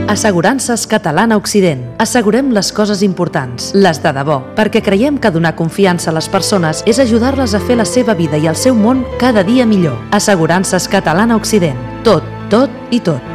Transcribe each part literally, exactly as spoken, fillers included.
Assegurances Catalana Occident. Assegurem les coses importants, les de debò, perquè creiem que donar confiança a les persones és ajudar-les a fer la seva vida i el seu món cada dia millor. Assegurances Catalana Occident. Tot, tot i tot.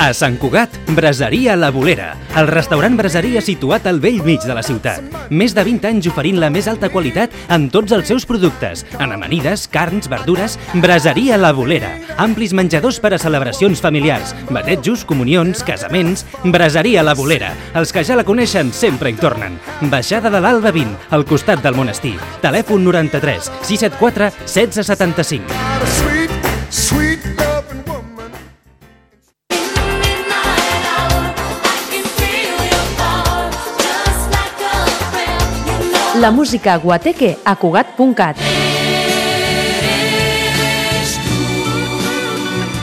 A Sant Cugat, Braseria La Bolera, el restaurant braseria situat al bell mig de la ciutat. Més de vint anys oferint la més alta qualitat en tots els seus productes, en amanides, carns, verdures. Braseria La Bolera, amplis menjadors per a celebracions familiars, batejos, comunions, casaments. Braseria La Bolera, els que ja la coneixen sempre hi tornen. Baixada de l'Alba vint, al costat del monestir. Telèfon noranta-tres sis set quatre setze setanta-cinc. La música Guateque a Cugat punt cat.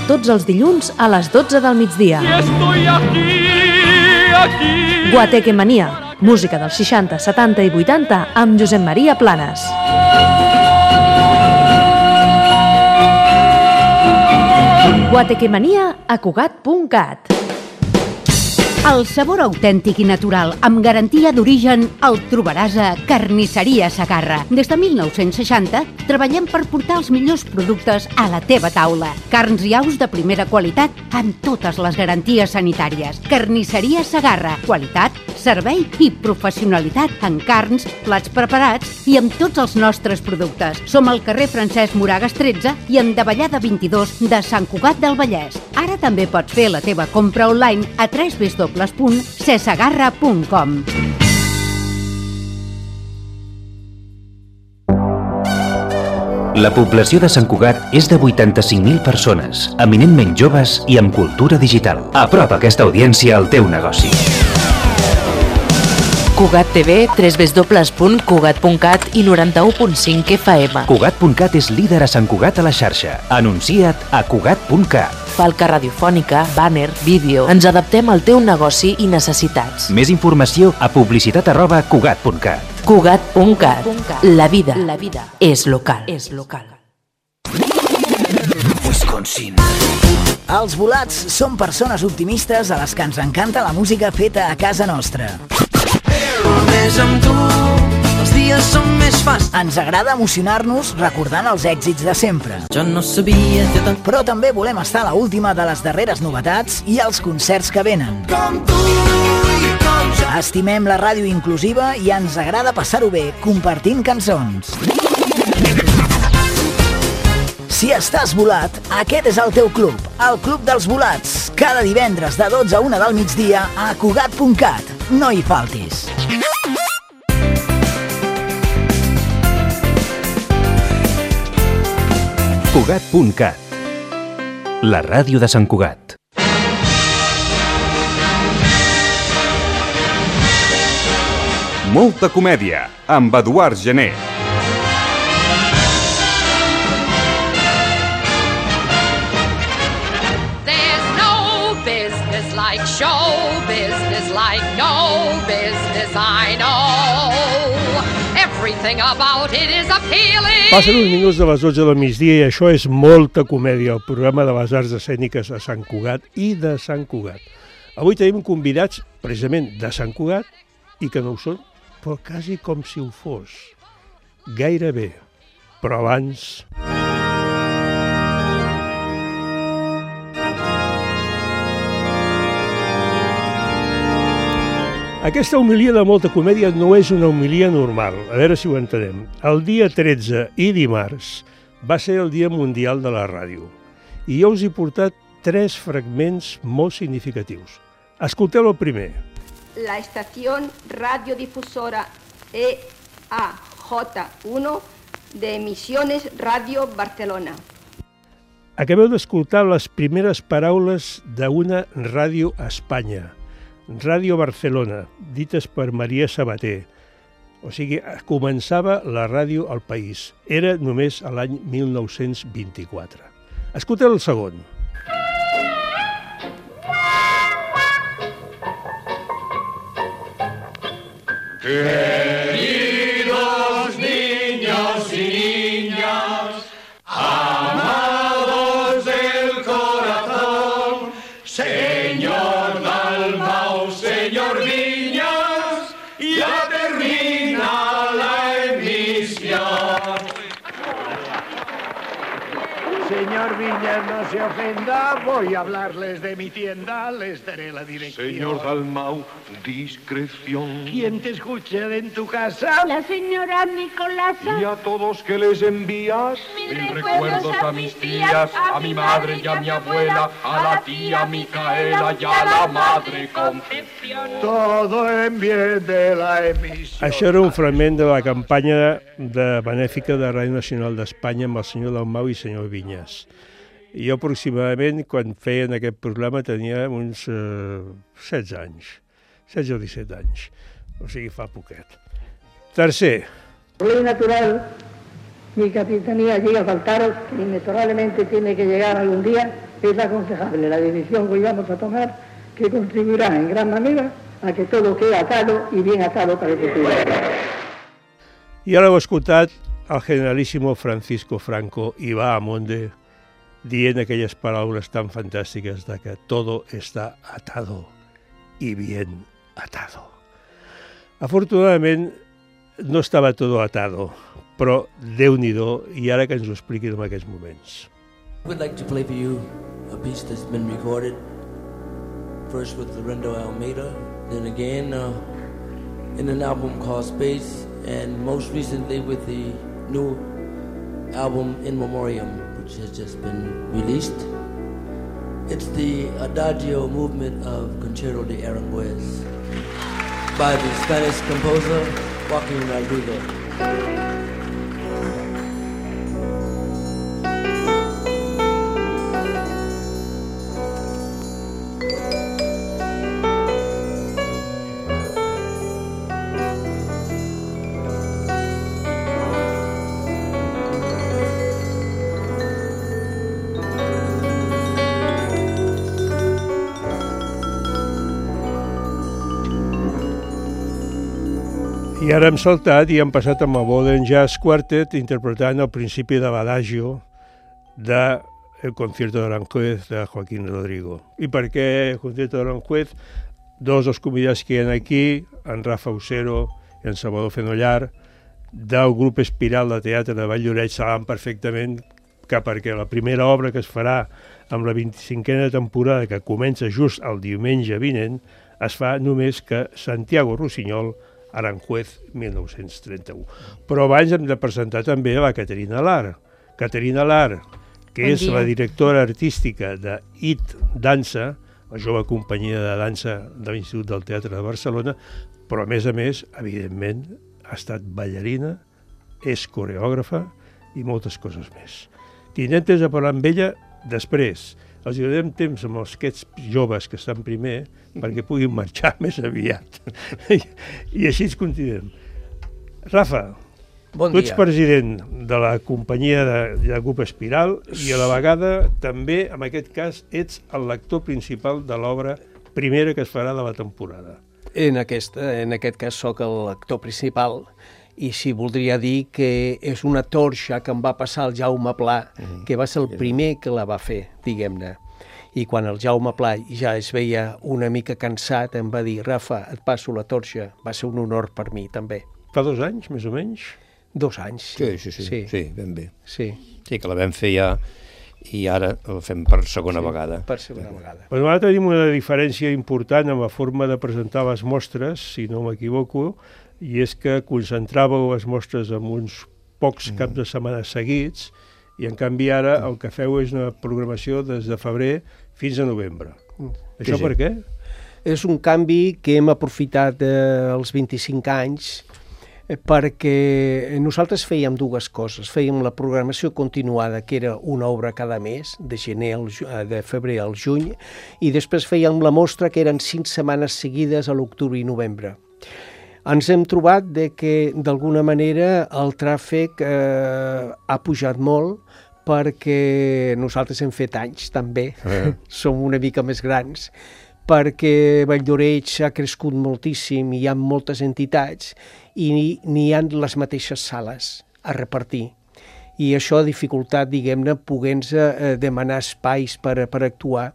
Tots els dilluns a les dotze del migdia. Guateque Mania, música dels seixanta, setanta i vuitanta amb Josep Maria Planes. Guateque Mania a Cugat punt cat. El sabor autèntic i natural, amb garantia d'origen, el trobaràs a Carnisseria Segarra. Des de mil nou-cents seixanta treballem per portar els millors productes a la teva taula. Carns i aus de primera qualitat amb totes les garanties sanitàries. Carnisseria Segarra. Qualitat, servei i professionalitat en carns, plats preparats i amb tots els nostres productes. Som al carrer Francesc Moragas tretze i en Davallada vint-i-dos de Sant Cugat del Vallès. Ara també pots fer la teva compra online a w w w punt sesegarra punt com. La població de Sant Cugat és de vuitanta-cinc mil persones, eminentment joves i amb cultura digital. Apropa aquesta audiència al teu negoci. Cugat T V, w w w punt cugat punt cat i noranta-u punt cinc F M. Cugat punt cat és líder a Sant Cugat a la xarxa. Anuncia't a cugat punt cat. Falca radiofònica, bàner, vídeo. Ens adaptem al teu negoci i necessitats. Més informació a publicitat arroba cugat punt cat. Cugat punt cat. La vida, la vida és local. És local. Wisconsin. Els volats són persones optimistes a les que ens encanta la música feta a casa nostra. Només amb tu els dies són més fàcils. Ens agrada emocionar-nos recordant els èxits de sempre. Jo no sabia que tant... Però també volem estar a la última de les darreres novetats i els concerts que venen. Com tu i com jo. Estimem la ràdio inclusiva i ens agrada passar-ho bé compartint cançons. Si estàs volat, aquest és el teu club, el Club dels Volats. Cada divendres de dotze a una del migdia a cugat punt cat. No hi faltis. Cugat punt cat. La ràdio de Sant Cugat. Molta comèdia, amb Eduard Gené. Like show business, like no business I know. Everything about it is appealing. Passen uns minuts de les dotze del migdia i això és Molta Comèdia, el programa de les arts escèniques a Sant Cugat i de Sant Cugat. Avui tenim convidats precisament de Sant Cugat i que no ho són, però quasi com si ho fos. Gairebé. Però abans... Aquesta homilia de Molta Comèdia no és una homilia normal, a veure si ho entenem. El dia tretze i dimarts va ser el Dia Mundial de la Ràdio i jo us he portat tres fragments molt significatius. Escolteu el primer. La estació radiodifusora E A J uno de Emisiones Radio Barcelona. Acabeu d'escoltar les primeres paraules d'una ràdio a Espanya. Ràdio Barcelona, dites per Maria Sabater. O sigui, començava la ràdio al país. Era només a l'any mil nou-cents vint-i-quatre. Escolteu el segon. Queridos niños Señor Viñas, no se ofenda, voy a hablarles de mi tienda, les daré la dirección. Señor Dalmau, discreción. ¿Quién te escucha en tu casa? La señora Nicolasa. Y a todos que les envías, Mil mil recuerdos recuerdos a a mis mis tías, tías, a a mi mi madre madre y a mi abuela, a la tía Micaela y a la madre Concepción. Todo en bien de la emisión. Això era un fragment de la campanya de benèfica de Ràdio Nacional d'Espanya amb el senyor Dalmau i el senyor Vinyes. Jo aproximadament, quan feien aquest programa, tenia uns eh, setze anys, setze o disset anys, o sigui, fa poquet. Tercer. Ley natural, mi capitanía llega a faltaros, que inexorablemente tiene que llegar algún día, es aconsejable la decisión que hoy vamos a tomar, que contribuirá en gran manera a que todo quede atado y bien atado para el futuro. I ara heu escoltat el generalíssimo Francisco Franco i va a Monde dient aquelles paraules tan fantàstiques de que todo está atado y bien atado. Afortunadament no estava todo atado, però Déu-n'hi-do, i ara que ens ho expliquin en aquests moments. We'd like to play for you a piece that's been recorded, first with Lorenzo Almeida, then again uh, in an album called Space, and most recently with the new album In Memoriam, which has just been released. It's the Adagio movement of Concerto de Aranjuez by the Spanish composer Joaquin Rodrigo. I ara hem saltat i hem passat amb el Modern Jazz Quartet interpretant el principi de l'Adagio de El concierto de Aranjuez de Joaquín Rodrigo. I per què el concierto de Aranjuez? Dos dels convidats que hi ha aquí, en Rafa Usero i en Salvador Fenollar, del grup Espiral de Teatre de Valldoreix, saben perfectament que perquè la primera obra que es farà amb la vint-i-cinquena temporada, que comença just el diumenge vinent, es fa només que Santiago Rossinyol, Aranjuez, mil nou-cents trenta-u. Però abans hem de presentar també la Caterina Lar. Caterina Lar, que bon és dia. La directora artística de I T Dansa, la jove companyia de dansa de l'Institut del Teatre de Barcelona, però a més a més, evidentment, ha estat ballarina, és coreògrafa i moltes coses més. Tindrem temps de parlar amb ella després. Els donarem temps amb els aquests joves que estan primer perquè puguin marxar més aviat. I així ens continuem. Rafa, bon tu ets dia. president de la companyia de, de grup Espiral i a la vegada també, en aquest cas, ets el lector principal de l'obra primera que es farà de la temporada. En aquest, en aquest cas soc el lector principal i sí, voldria dir que és una torxa que em va passar el Jaume Pla, mm. que va ser el primer que la va fer, diguem-ne. I quan el Jaume Pla ja es veia una mica cansat, em va dir, Rafa, et passo la torxa. Va ser un honor per mi, també. Fa dos anys, més o menys? Dos anys, sí. Sí, sí, sí, sí, sí ben bé. Sí. Sí, que la vam fer ja i ara la fem per segona sí, vegada. per segona vegada. Però ara tenim una diferència important en la forma de presentar les mostres, si no m'equivoco, i és que concentràveu les mostres en uns pocs mm. caps de setmana seguits i en canvi ara el que feu és una programació des de febrer fins a novembre. Mm. Això sí, per què? És un canvi que hem aprofitat eh, els vint-i-cinc anys eh, perquè nosaltres fèiem dues coses. Fèiem la programació continuada, que era una obra cada mes, de gener al, de febrer al juny, i després fèiem la mostra, que eren cinc setmanes seguides a l'octubre i novembre. Ens hem trobat de que, d'alguna manera, el tràfic eh, ha pujat molt perquè nosaltres hem fet anys, també. Eh. Som una mica més grans, perquè Valldoreix ha crescut moltíssim i hi ha moltes entitats i n'hi ha les mateixes sales a repartir. I això ha dificultat, diguem-ne, poder-nos eh, demanar espais per, per actuar.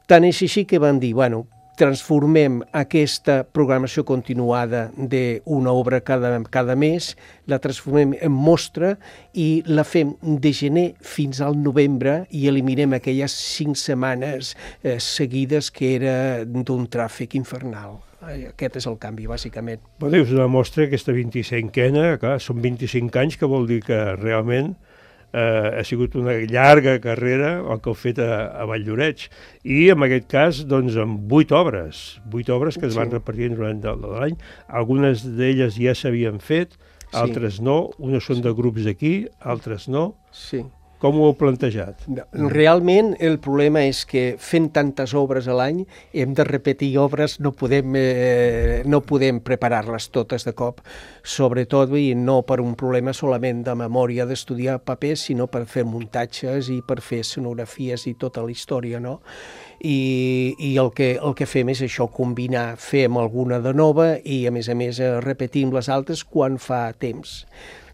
Tant és així que van dir, bueno, transformem aquesta programació continuada d'una obra cada, cada mes, la transformem en mostra i la fem de gener fins al novembre i eliminem aquelles cinc setmanes eh, seguides que era d'un tràfic infernal. Aquest és el canvi, bàsicament. Bueno, és una mostra, aquesta vint-i-cinquena, clar, són vint-i-cinc anys, que vol dir que realment eh, ha sigut una llarga carrera el que heu fet a, a Valldoreix, i en aquest cas doncs amb vuit obres, vuit obres que es van sí. repartint durant l'any. Algunes d'elles ja s'havien fet, altres sí. no, unes són de grups d'aquí, altres no. Sí. Com ho heu plantejat? Realment el problema és que fent tantes obres a l'any hem de repetir obres, no podem, eh, no podem preparar-les totes de cop, sobretot i no per un problema solament de memòria d'estudiar papers, sinó per fer muntatges i per fer escenografies i tota la història, no? I, i el, que, el que fem és això, combinar, fem alguna de nova i a més a més repetim les altres quan fa temps.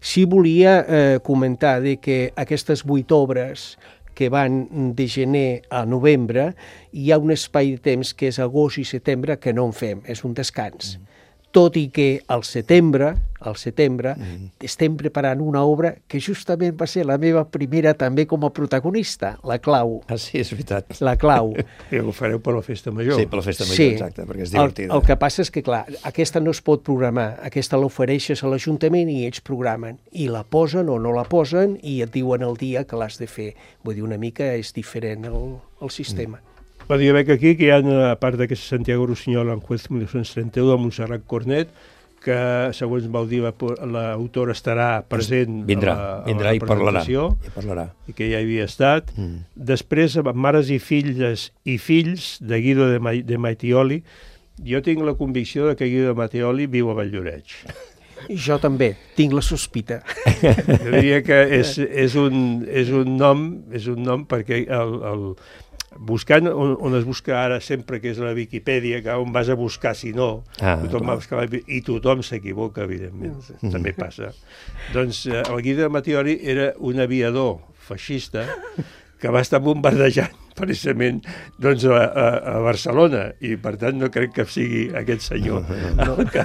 Sí volia eh, comentar de que aquestes vuit obres que van de gener a novembre, hi ha un espai de temps que és agost i setembre que no en fem, és un descans. Mm. Tot i que al setembre, al setembre mm. estem preparant una obra que justament va ser la meva primera també com a protagonista, La Clau. Ah, sí, és veritat. La Clau. I ho fareu per la Festa Major. Sí, per la Festa Major, sí. exacte, perquè és divertida. El, el que passa és que, clar, aquesta no es pot programar, aquesta l'ofereixes a l'Ajuntament i ells programen, i la posen o no la posen i et diuen el dia que l'has de fer. Vull dir, una mica és diferent el, el sistema. Mm. Bueno, jo veig aquí que hi ha, a part d'aquesta Santiago Rossinyol en Juez mil nou-cents trenta-u de Montserrat Cornet, que, segons vau dir, l'autora estarà present vindrà, a la, vindrà a la i parlarà, presentació, i parlarà. I que ja hi havia estat. Mm. Després, Mares i filles i fills, de Guido de, Ma de Mattioli. Jo tinc la convicció de que Guido de Mattioli viu a Valldoreix. Jo també, tinc la sospita. Jo diria que és, és, un, és un nom, és un nom perquè el, el, buscant on, on es busca ara sempre, que és la Viquipèdia, que on vas a buscar si no, ah, tothom va buscar, i tothom s'equivoca, evidentment, mm. també passa. Doncs eh, el Guido de Mattioli era un aviador feixista que va estar bombardejant precisament doncs, a, a, a Barcelona, i per tant no crec que sigui aquest senyor. No? Que,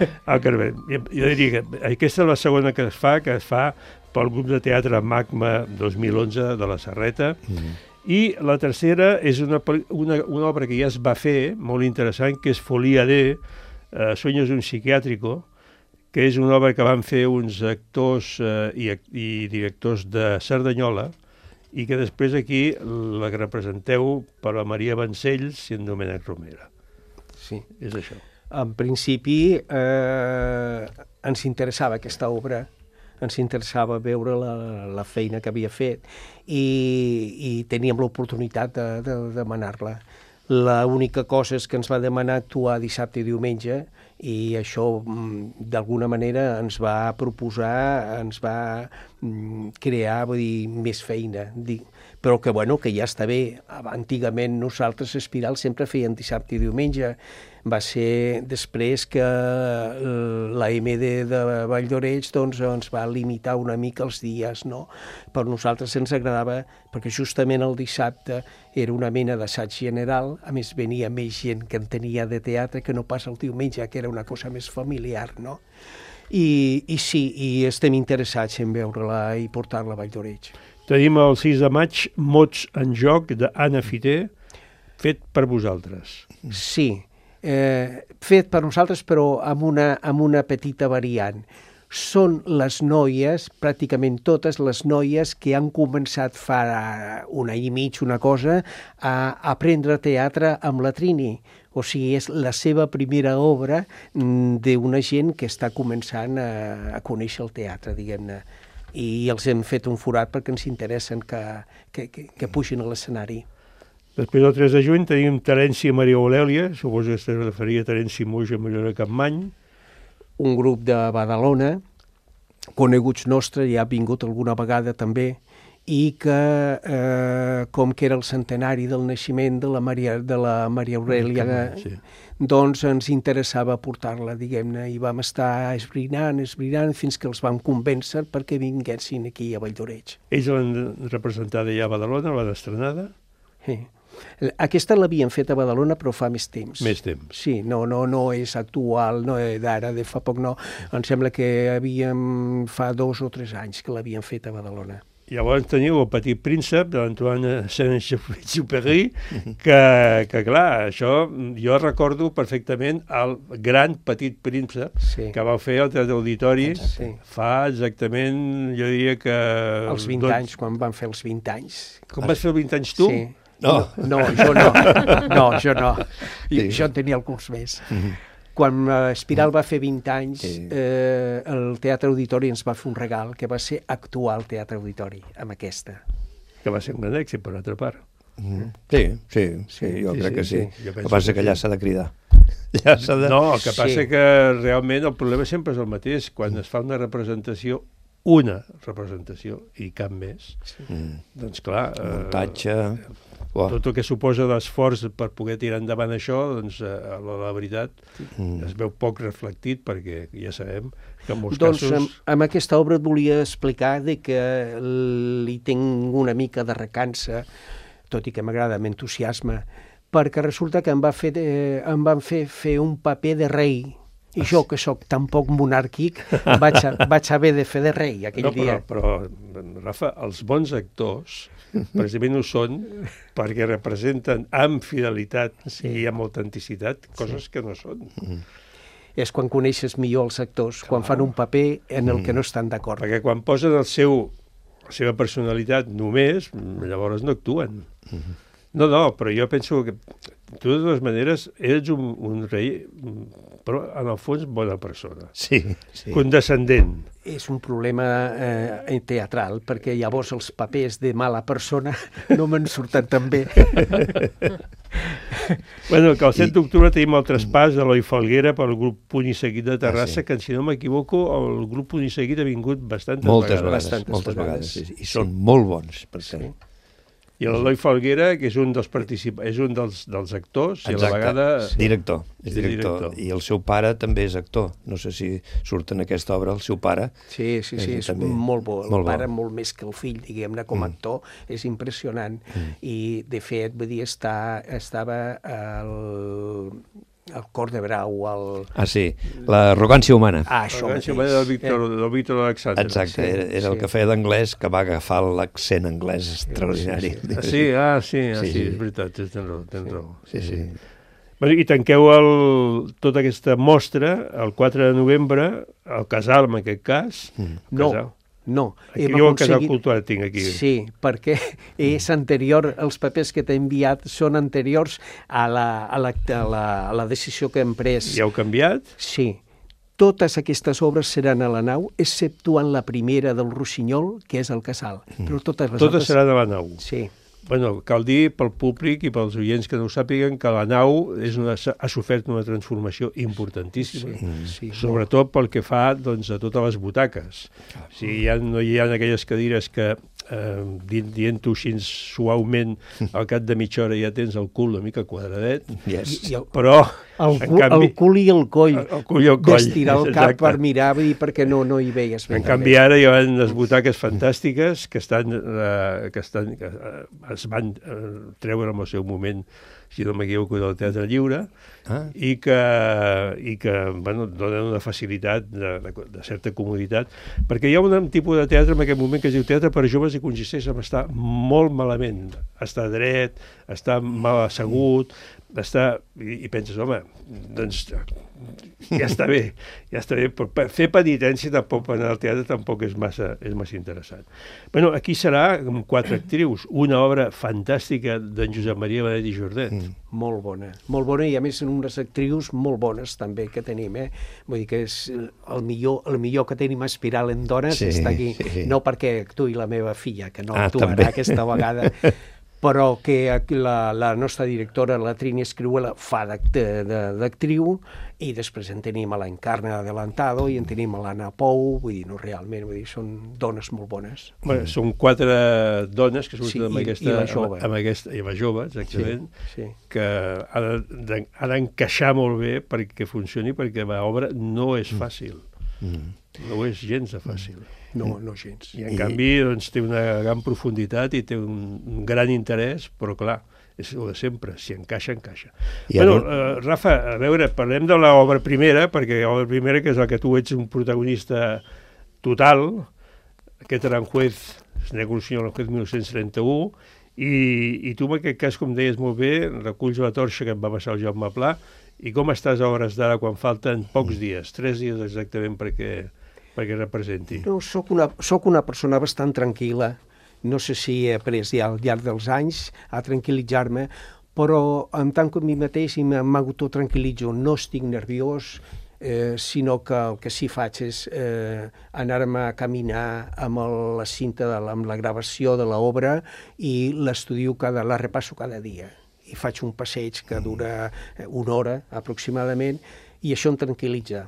el que, jo diria que aquesta és la segona que es fa, que es fa pel grup de teatre Magma dos mil onze de la Serreta, mm. i la tercera és una, una, una obra que ja es va fer, molt interessant, que és Folia de eh, Sueños de un psiquiátrico, que és una obra que van fer uns actors eh, i, i directors de Cerdanyola, i que després aquí la representeu per la Maria Vancells i en Domènec Romera. Sí. És això. En principi eh, ens interessava aquesta obra, ens interessava veure la, la feina que havia fet i, i teníem l'oportunitat de, de, de demanar-la. L'única cosa és que ens va demanar actuar dissabte i diumenge i això d'alguna manera ens va proposar, ens va crear, vull dir, més feina. Però que, bueno, que ja està bé. Antigament nosaltres, Espiral, sempre feien dissabte i diumenge. Va ser després que la M D de Valldoreix doncs, ens va limitar una mica els dies, no? Per nosaltres ens agradava, perquè justament el dissabte era una mena d'assaig general, a més venia més gent que en tenia de teatre que no pas el diumenge, que era una cosa més familiar, no? I, i sí, i estem interessats en veure-la i portar-la a Valldoreix. Tenim el sis de maig Mots en joc d'Anna Fiter, fet per vosaltres. Sí, eh, fet per nosaltres però amb una, amb una petita variant. Són les noies, pràcticament totes les noies que han començat fa un any i mig, una cosa, a aprendre teatre amb la Trini. O sigui, és la seva primera obra d'una gent que està començant a, a conèixer el teatre, diguem-ne. I els hem fet un forat perquè ens interessen que, que, que, que pugin a l'escenari. Després del tres de juny tenim Terenci i Maria Aurèlia, suposo que es referia a Terenci Muix i Maria de Capmany. Un grup de Badalona, coneguts nostres, ja ha vingut alguna vegada també, i que, eh, com que era el centenari del naixement de la Maria, de la Maria Aurèlia, sí. doncs ens interessava portar-la, diguem-ne, i vam estar esbrinant, esbrinant, fins que els vam convèncer perquè vinguessin aquí a Valldoreix. Ells l'han representada ja a Badalona, l'han estrenada? Sí. Aquesta l'havien fet a Badalona, però fa més temps. Més temps. Sí, no, no, no és actual, no és d'ara, de fa poc no. Em sembla que havíem, fa dos o tres anys que l'havien fet a Badalona. Llavors teniu El Petit Príncep d'Antoine Saint-Exupéry, que, que clar, això jo recordo perfectament el Gran Petit Príncep, sí, que vau fer al Teatre Auditori, sí, fa exactament, jo diria que... Els vint doncs... anys, quan van fer els vint anys. Com vas fer els vint anys tu? Sí. No. No, jo no. No, jo no. Sí. Jo en tenia alguns més. Mm-hmm. Quan Espiral va fer vint anys, eh, el Teatre Auditori ens va fer un regal que va ser actuar al Teatre Auditori, amb aquesta. Que va ser un gran èxit, per altra part. Mm. Sí, sí, sí, jo sí, crec sí, que sí. sí. El que passa que allà s'ha de cridar. Ja s'ha de... No, el que passa sí. que realment el problema sempre és el mateix. Quan es fa una representació, una representació, i cap més, sí. doncs clar... Muntatge... Eh, Wow. Tot el que suposa l'esforç per poder tirar endavant això, doncs eh, la, la veritat mm. es veu poc reflectit, perquè ja sabem que en molts doncs, casos... Amb, amb aquesta obra et volia explicar de que li tinc una mica de recança, tot i que m'agrada amb entusiasme, perquè resulta que em, va fer de, em van fer fer un paper de rei, i jo, que sóc tan poc monàrquic, vaig, a, vaig haver de fer de rei aquell no, però, dia. Però, Rafa, els bons actors precisament ho són perquè representen amb fidelitat sí. i amb autenticitat coses sí. que no són. Mm. És quan coneixes millor els actors, Clar. quan fan un paper en el que no estan d'acord. Perquè quan posen el seu, la seva personalitat només, llavors no actuen. Mm. No, no, però jo penso que tu de totes maneres ets un, un rei, però en el fons bona persona. Sí, sí. Condescendent. És un problema eh, teatral, perquè llavors els papers de mala persona no me'n surten tan bé. Bueno, que el set d'octubre tenim el traspàs d'Eloi Falguera pel grup Puny i Seguit de Terrassa, ah, sí. que si no m'equivoco, el grup Puny i Seguit ha vingut bastantes moltes vegades. vegades Bastantes moltes vegades, vegades. I són molt bons, per sí. I l'Eloi Falguera, que és un dels particip... és un dels, dels actors, Exacte. i a la vegada... Director, és director. director. I el seu pare també és actor. No sé si surt en aquesta obra el seu pare. Sí, sí, sí, és, és també... molt bo. El molt pare bo. molt més que el fill, diguem-ne, com a mm. actor, és impressionant. Mm. I, de fet, vull dir, està, estava el... el cor de brau, el... Ah, sí, l'arrogància humana. Ah, això L'arrogància humana del Víctor, eh? del Víctor Alexandre. Exacte, sí, era, era sí. el que feia d'anglès, que va agafar l'accent anglès extraordinari. Sí, sí. sí, ah, sí, ah, sí, sí, és veritat, tens raó, tens sí. raó. Sí, sí. Bueno, i tanqueu el, tota aquesta mostra el quatre de novembre, al Casal, en aquest cas. Mm. No, Casal. No. Aquí jo el Casal Cultural tinc aquí. Sí, perquè és anterior, els papers que t'he enviat són anteriors a la, a, la, a, la, a la decisió que hem pres. I heu canviat? Sí. Totes aquestes obres seran a la nau, exceptuant la primera del Rossinyol, que és el Casal. Mm. Però totes les totes altres... seran a la nau? Sí. Bueno, cal dir pel públic i pels oients que no ho sàpiguen que la nau és una, ha sofert una transformació importantíssima, sí, sí, sobretot pel que fa doncs, a totes les butaques. O sigui, ja no hi ha aquelles cadires que, eh, dient-ho així suaument, al cap de mitja hora ja tens el cul una mica quadradet, yes. I, i el, però... El, cu, canvi, el cul i el coll, el cul i el coll d'estirar el cap per mirar, vull dir, perquè no, no hi veies bé. En canvi, ara hi ha unes butaques fantàstiques que estan, eh, que estan que, eh, es van eh, treure en el seu moment, si no m'equivoco, del Teatre Lliure, ah. i que, i que bueno, donen una facilitat de, de, de certa comoditat, perquè hi ha un tipus de teatre en aquest moment que es diu teatre per a joves i consisteix en estar molt malament, estar dret, estar mal assegut, d'estar, i, i penses, home, doncs ja està bé, ja està bé, però fer penitència tampoc per anar al teatre tampoc és massa, és massa interessant. Bueno, aquí serà amb quatre actrius, una obra fantàstica d'en Josep Maria Benet i Jordet. Mm. Molt bona, molt bona, i a més en unes actrius molt bones també que tenim, eh? Vull dir que és el millor, el millor que tenim a Espiral en dones, sí, està aquí, sí. No perquè actuï la meva filla, que no ah, actuarà també. Aquesta vegada, però que la, la nostra directora, la Trini Escriuela, fa d'actriu, i després en tenim a l'Encarna Adelantado i en tenim a l'Anna Pou, vull dir, no, realment, vull dir, són dones molt bones. Bueno, són quatre dones que surten sí, amb, i, aquesta, i la jove. Amb, amb aquesta, i la jove, exactament, sí, sí. Que ha d'encaixar molt bé perquè funcioni, perquè l'obra no és fàcil. Mm. No és gens de fàcil. No, no gens. I en I... canvi doncs, té una gran profunditat i té un, un gran interès, però clar, és el de sempre, si encaixa, encaixa. I Bueno, ara... uh, Rafa, a veure, parlem de l'obra primera, perquè l'obra primera, que és la que tu ets un protagonista total, aquest Aranjuez, Negociació Aranjuez mil nou-cents trenta-u, i, i tu en aquest cas, com deies molt bé, reculls la torxa que em va passar el Jaume Pla, i com estàs a hores d'ara quan falten pocs dies, tres dies exactament perquè, perquè representi? No, soc una, soc una persona bastant tranquil·la. No sé si he après ja al llarg dels anys a tranquil·litzar-me, però en tant que a mi mateix i m'autotranquil·litzo, no estic nerviós, eh, sinó que el que sí faig és eh, anar-me a caminar amb el, la cinta, de la, amb la gravació de l'obra i l'estudio, cada, la repasso cada dia. I faig un passeig que dura una hora aproximadament i això em tranquil·litza.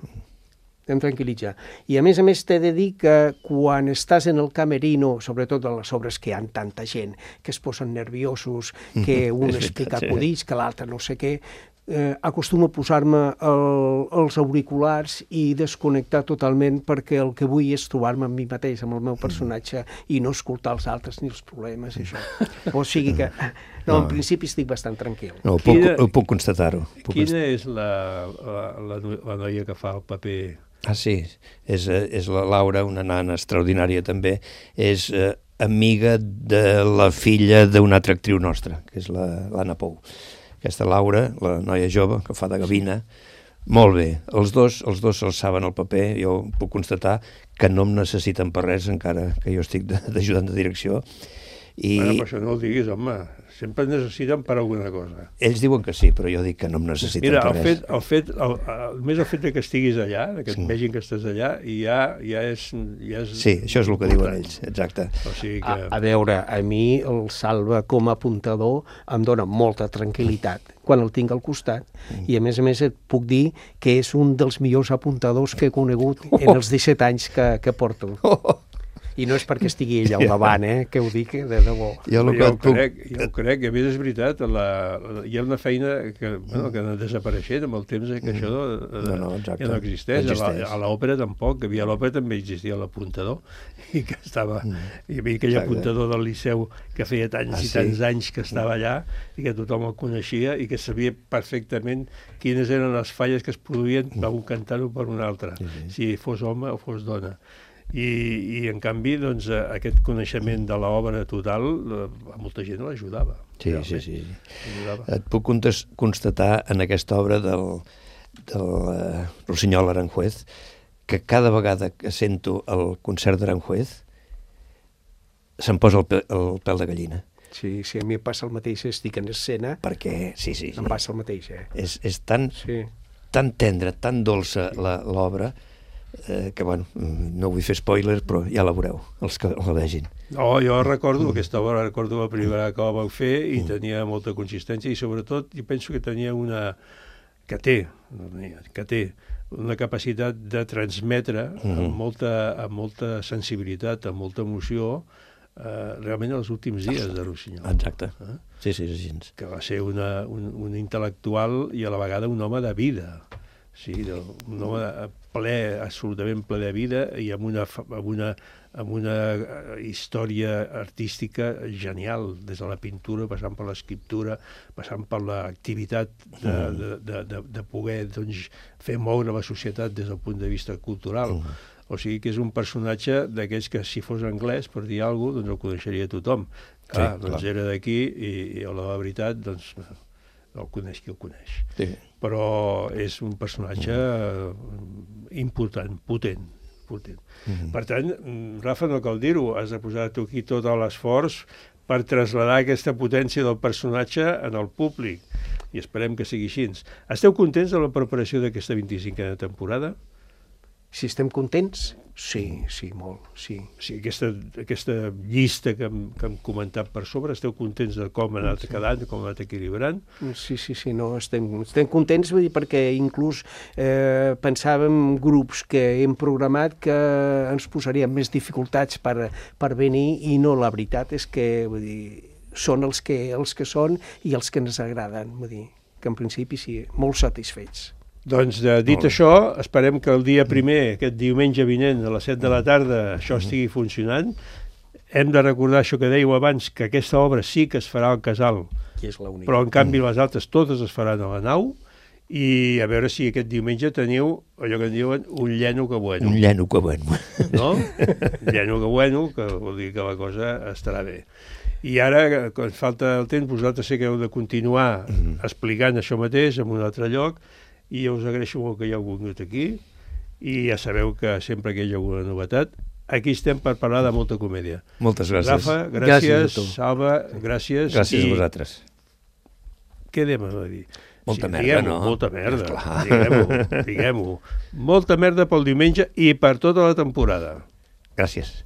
Em tranquil·litza. I a més a més t'he de dir que quan estàs en el camerino, sobretot en les obres que hi ha tanta gent, que es posen nerviosos, que un explica acudits, que l'altre no sé què, eh, acostumo a posar-me el, els auriculars i desconnectar totalment, perquè el que vull és trobar-me amb mi mateix, amb el meu personatge, i no escoltar els altres ni els problemes, això. O sigui que, no, en principi estic bastant tranquil. No, puc, quina, puc constatar-ho. Quina és la, la, la, la noia que fa el paper? Ah, sí, és, és la Laura, una nana extraordinària també, és eh, amiga de la filla d'una altra actriu nostra, que és l'Anna Pou. Aquesta Laura, la noia jove, que fa de gavina, molt bé. Els dos, els dos se'ls saben el paper, jo puc constatar que no em necessiten per res, encara que jo estic d'ajudant de direcció. I... Bueno, per això no ho diguis, home. Sempre et necessiten per alguna cosa. Ells diuen que sí, però jo dic que no em necessiten Mira, per el res. fet, el fet, el, el, més el fet que estiguis allà, que et sí. vegin que estàs allà, i ja, ja, és, ja és... Sí, això és el que diuen ells, exacte. O sigui que... a, a veure, a mi el Salva com a apuntador em dona molta tranquil·litat quan el tinc al costat, mm. i a més a més et puc dir que és un dels millors apuntadors que he conegut oh. en els disset anys que, que porto. Oh. I no és perquè estigui ella al davant, eh, que ho dic de debò. Jo, jo, ho, crec, jo ho crec, que a més és veritat, la, la, hi ha una feina que, bueno, que ha anat desapareixent amb el temps, eh, que això no, no, no, ja no existeix. existeix. A l'òpera tampoc, que havia a l'òpera també existia l'apuntador, i que estava, mm. hi havia aquell exacte. apuntador del Liceu que feia tants ah, i tants sí. anys que estava allà, i que tothom el coneixia, i que sabia perfectament quines eren les falles que es produïen per un cantant o per un altre, sí, sí. si fos home o fos dona. I, i en canvi doncs, aquest coneixement de l'obra total a molta gent l'ajudava. Sí, sí, sí. Ajudava. Et puc constatar en aquesta obra del, del uh, Rossinyol Aranjuez que cada vegada que sento el concert d'Aranjuez se'm posa el, pe el pèl de gallina. Sí, sí, a mi em passa el mateix, estic en escena. Perquè, sí, sí. Em passa el mateix, eh? És, és tan, sí. tan tendra, tan dolça l'obra, Eh, que bueno, no vull fer spoilers, però ja la veureu, els que la vegin. No, jo recordo, mm. aquesta obra recordo la primera que la vau fer i mm. tenia molta consistència i sobretot jo penso que tenia una... que té, que té una capacitat de transmetre mm. amb, molta, amb molta sensibilitat, amb molta emoció, eh, realment els últims dies de Rossinyol. Exacte, eh? sí, sí, sí, sí. Que va ser una, un, un intel·lectual i a la vegada un home de vida. Sí, un home ple, absolutament ple de vida i amb una, amb una, amb una història artística genial, des de la pintura, passant per l'escriptura, passant per l'activitat de, de, de, de, de poder doncs, fer moure la societat des del punt de vista cultural. O sigui que és un personatge d'aquells que si fos anglès, per dir alguna cosa, doncs el coneixeria tothom. Clar, sí, doncs clar. Era d'aquí i, i a la veritat, doncs... el coneix qui el coneix. Sí. Però és un personatge mm. important, potent. potent. Mm-hmm. Per tant, Rafa, no cal dir-ho, has de posar tu aquí tot l'esforç per traslladar aquesta potència del personatge en el públic. I esperem que sigui així. Esteu contents de la preparació d'aquesta vint-i-cinquena temporada? Si estem contents? Sí, sí, molt, sí. sí aquesta, aquesta llista que hem, que hem comentat per sobre, esteu contents de com ha anat sí. quedant, com ha anat equilibrant? Sí, sí, sí, no, estem, estem contents, vull dir, perquè inclús eh, pensàvem grups que hem programat que ens posaríem més dificultats per, per venir i no, la veritat és que, vull dir, són els que, els que són i els que ens agraden, vull dir, que en principi sí, molt satisfets. Doncs, eh, dit oh. això, esperem que el dia primer, aquest diumenge vinent, a les set de la tarda, això estigui funcionant. hem de recordar això que dèieu abans, que aquesta obra sí que es farà al casal, però en canvi les altres totes es faran a la nau, i a veure si aquest diumenge teniu allò que en diuen un lleno que bueno. Un lleno que bueno. No? Un lleno que bueno, que vol dir que la cosa estarà bé. I ara, quan falta el temps, vosaltres sé que heu de continuar mm. explicant això mateix en un altre lloc, i us agraeixo molt que hi heu vingut aquí, i ja sabeu que sempre que hi ha alguna novetat, aquí estem per parlar de molta comèdia. Moltes gràcies. Rafa, gràcies. gràcies Salva, gràcies. Gràcies I... a vosaltres. Què anem a dir? Molta sí, merda, no? Molta merda, diguem-ho, diguem-ho. Molta merda pel diumenge i per tota la temporada. Gràcies.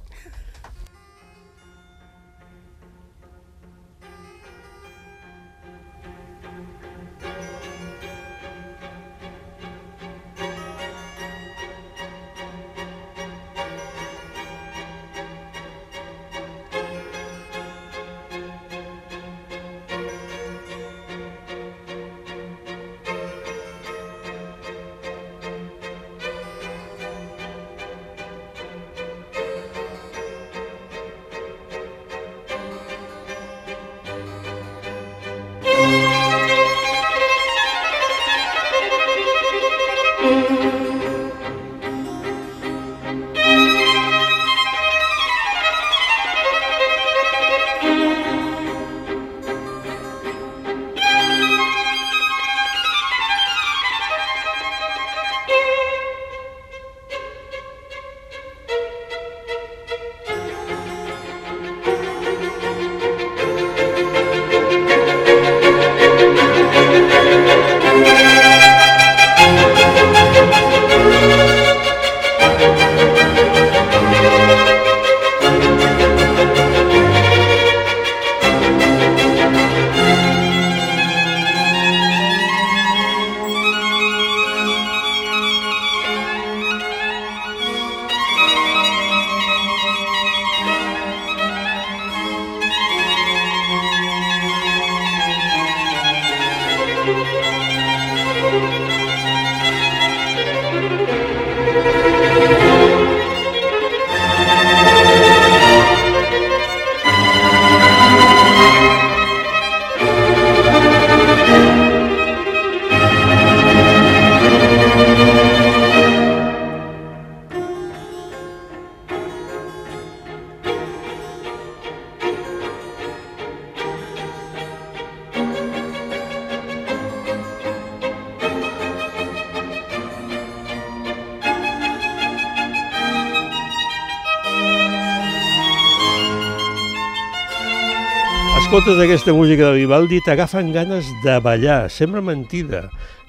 Escoltes aquesta música de Vivaldi, t'agafen ganes de ballar, sembla mentida,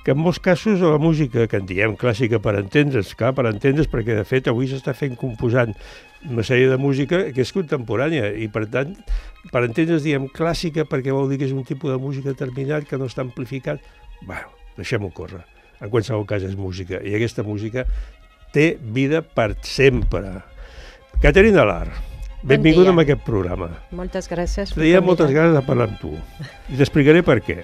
que en molts casos la música, que en diem clàssica per entendre's, clar, per entendre's, perquè de fet avui s'està fent composant una sèrie de música que és contemporània, i per tant, per entendre's diem clàssica perquè vol dir que és un tipus de música determinat que no està amplificat. Bueno, deixem-ho córrer. En qualsevol cas és música, i aquesta música té vida per sempre. Caterina Lar, benvinguda a aquest programa. Moltes gràcies. Tenia moltes ganes de parlar amb tu. I t'explicaré per què.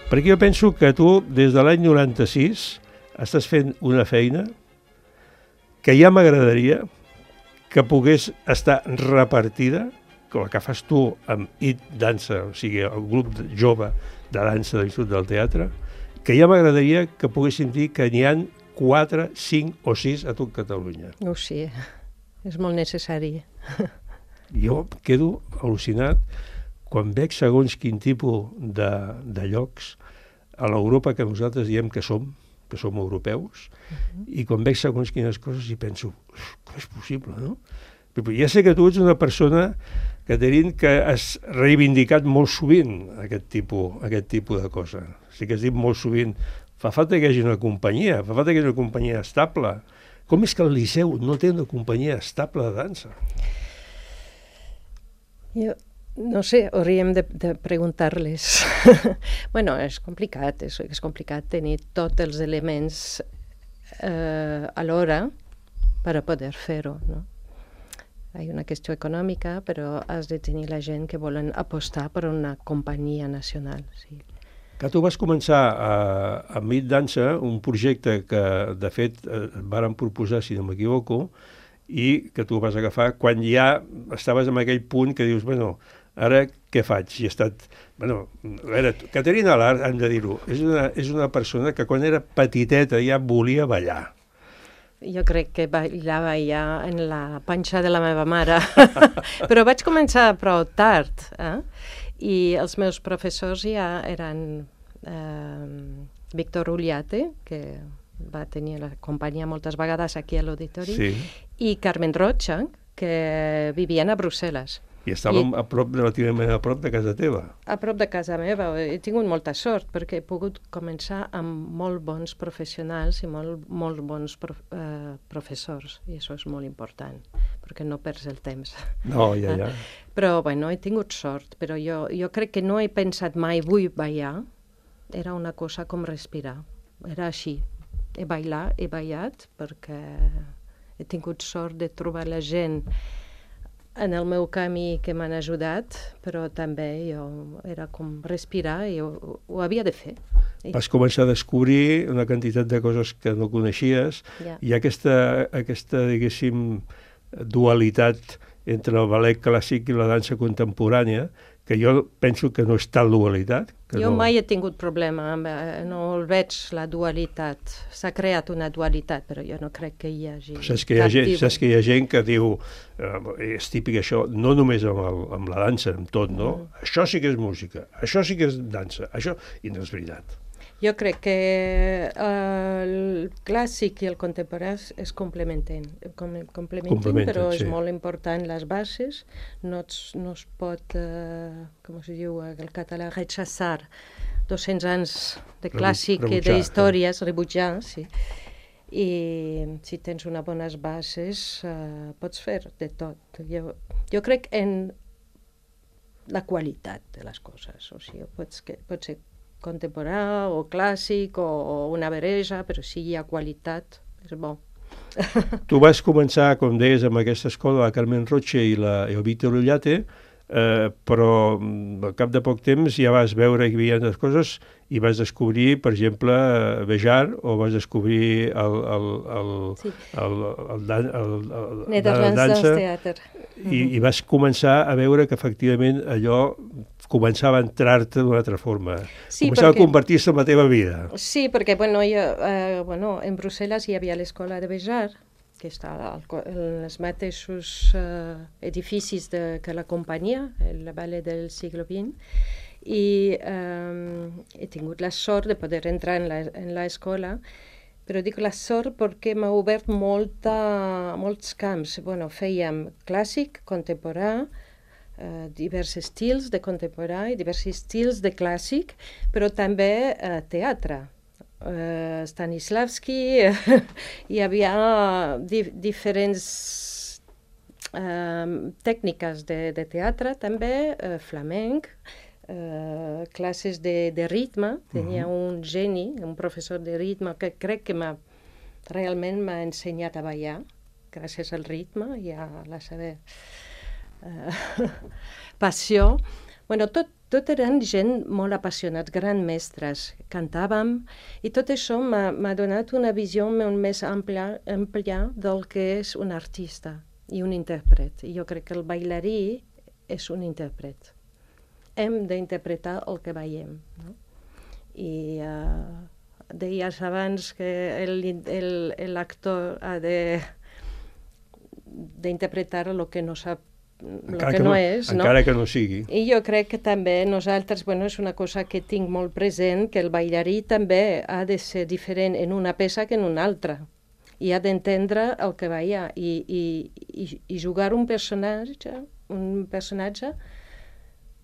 Perquè jo penso que tu, des de l'any noranta-sis, estàs fent una feina que ja m'agradaria que pogués estar repartida, com la que fas tu amb I T Dansa, o sigui, el grup jove de dansa de l'Institut del Teatre, que ja m'agradaria que poguéssim dir que n'hi ha quatre, cinc o sis a tot Catalunya. Oh, sí. És molt necessari. Jo quedo al·lucinat quan veig segons quin tipus de, de llocs a l'Europa que nosaltres diem que som, que som europeus, uh-huh. i quan veig segons quines coses i penso, com és possible, no? Però ja sé que tu ets una persona, Caterina, que has reivindicat molt sovint aquest tipus, aquest tipus de cosa. O sigui que has dit molt sovint, fa falta que hi hagi una companyia, fa falta que hi hagi una companyia estable. Com és que el Liceu no té una companyia estable de dansa? Jo no sé, hauríem de, de preguntar-les. Bueno, és complicat, és, és complicat tenir tots els elements eh, alhora per a poder fer-ho, no? Hi ha una qüestió econòmica, però has de tenir la gent que volen apostar per una companyia nacional, sí. Que tu vas començar a, a Mit Dansa, un projecte que, de fet, eh, varen proposar, si no m'equivoco, i que tu vas agafar quan ja estaves en aquell punt que dius, bueno, ara què faig? I he estat... Bueno, a veure, Caterina Lart, hem de dir-ho, és una, és una persona que quan era petiteta ja volia ballar. Jo crec que ballava ja en la panxa de la meva mare, però vaig començar prou tard, eh? I els meus professors ja eren eh, Víctor Uliate, que va tenir la companyia moltes vegades aquí a l'auditori, sí. I Carmen Rocha, que vivien a Brussel·les. I estàvem I, a prop, relativament a prop de casa teva. A prop de casa meva. He tingut molta sort perquè he pogut començar amb molt bons professionals i molt, molt bons prof, eh, professors. I això és molt important, perquè no perds el temps. No, ja, ja. Però, bueno, he tingut sort, però jo, jo crec que no he pensat mai vull ballar. Era una cosa com respirar. Era així. He ballat, he ballat, perquè he tingut sort de trobar la gent en el meu camí que m'han ajudat, però també jo era com respirar i ho, ho havia de fer. Vas començar a descobrir una quantitat de coses que no coneixies, yeah. I aquesta, aquesta, diguéssim, dualitat entre el ballet clàssic i la dansa contemporània, que jo penso que no és tal dualitat. Que jo no... mai he tingut problema, amb, no el veig la dualitat. S'ha creat una dualitat, però jo no crec que hi hagi... Saps que hi ha, gent, saps que hi ha gent que diu, eh, és típic això, no només amb, el, amb la dansa, amb tot, no? Mm. Això sí que és música, això sí que és dansa, això... I no és veritat. Jo crec que el clàssic i el contemporani es complementen, complementen però és sí. Molt important les bases, no es, no es pot, uh, com es diu el català, rechaçar dos-cents anys de clàssic i d'històries, rebutjar, sí. I si tens unes bones bases uh, pots fer de tot. Jo, jo crec en la qualitat de les coses, o sigui, pots, que, pot ser contemporà o clàssic o, o una barreja, però si hi ha qualitat, és bo. Tu vas començar, com deies, amb aquesta escola, la Carmen Rocha i, la, i el Víctor Ullate, eh, però al cap de poc temps ja vas veure que hi havia les coses i vas descobrir, per exemple, Bejar, o vas descobrir el, el, el, sí. el, el, el, el, el, Nederlands dansa, Theater. I, i vas començar a veure que efectivament allò començava a entrar-te d'una altra forma. Sí, començava perquè... a convertir-se en la teva vida. Sí, perquè bueno, jo, eh, bueno, en Brussel·les hi havia l'escola de Bejar, que està en els mateixos eh, edificis de, que la companyia, el ballet del segle vint, i eh, he tingut la sort de poder entrar en l'escola, però dic la sort perquè m'ha obert molta, molts camps. Bueno, fèiem clàssic, contemporà, Uh, diversos estils de contemporà i diversos estils de clàssic, però també uh, teatre. Uh, Stanislavski, uh, hi havia di diferents uh, tècniques de, de teatre, també uh, flamenc, uh, classes de, de ritme. Tenia uh-huh. un geni, un professor de ritme, que crec que m'ha, realment m'ha ensenyat a ballar, gràcies al ritme i a la seva... Uh, passió. Bueno, tot, tot eren gent molt apassionats, grans mestres, cantàvem, i tot això m'ha donat una visió molt més àmplia, àmplia del que és un artista i un intèrpret. I jo crec que el bailarí és un intèrpret. Hem d'interpretar el que veiem, no? I uh, deies abans que l'actor ha d'interpretar el que no sap encara que, que no, no és, no? Encara que no sigui. I jo crec que també nosaltres, bueno, és una cosa que tinc molt present, que el ballarí també ha de ser diferent en una peça que en una altra. I ha d'entendre el que balla i, i, i, i jugar un personatge, un personatge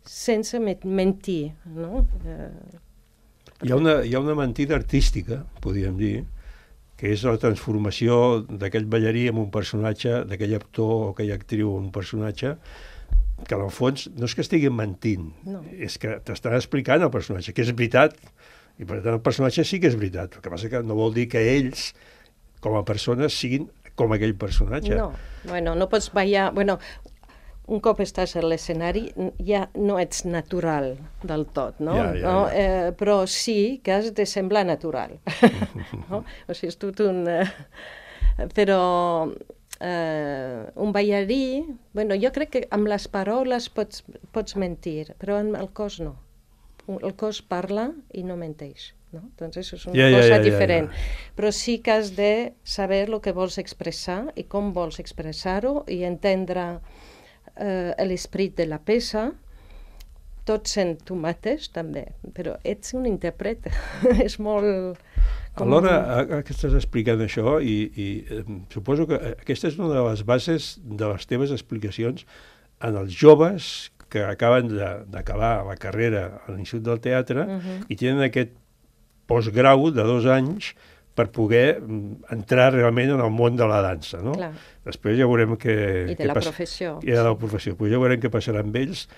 sense mentir, no? Eh, hi ha una, hi ha una mentida artística, podríem dir, que és la transformació d'aquell ballarí en un personatge, d'aquell actor o aquella actriu en un personatge, que en el fons no és que estiguin mentint, no. És que t'estan explicant el personatge, que és veritat, i per tant el personatge sí que és veritat, el que passa que no vol dir que ells, com a persones, siguin com aquell personatge. No, bueno, no pots ballar... Bueno, un cop estàs a l'escenari ja no ets natural del tot, no? Ja, ja, no? ja. Eh, però sí que has de semblar natural. No? O sigui, és tot un... Eh, però Uh, un ballarí, bueno, jo crec que amb les paraules pots, pots mentir, però amb el cos no. El cos parla i no menteix, no? Doncs és una ja, cosa ja, ja, diferent. Ja, ja. Però sí que has de saber el que vols expressar i com vols expressar-ho i entendre uh, l'esperit de la peça, tot sent tu mateix, també. Però ets un intèrpret. És molt... Com... Alhora, ara que estàs explicant això, i, i eh, suposo que aquesta és una de les bases de les teves explicacions en els joves que acaben d'acabar la carrera a l'Institut del Teatre uh-huh. i tenen aquest postgrau de dos anys per poder entrar realment en el món de la dansa, no? Clar. Després ja veurem què... I de què la pas... professió. I de la professió. Pues ja veurem què passarà amb ells,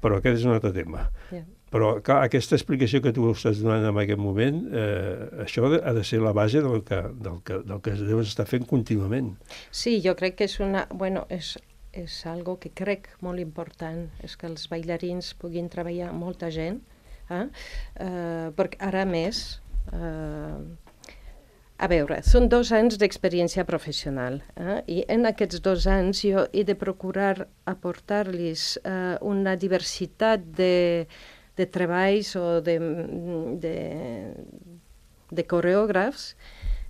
però aquest és un altre tema. Yeah. Però clar, aquesta explicació que tu estàs donant en aquest moment, eh, això ha de ser la base del que, del que, del que deus estar fent contínuament. Sí, jo crec que és una... Bueno, és, és algo que crec molt important, és que els bailarins puguin treballar amb molta gent, eh? Uh, perquè ara més... Uh, a veure, són dos anys d'experiència professional, eh? I en aquests dos anys jo he de procurar aportar-los uh, una diversitat de... de treballs o de, de, de coreògrafs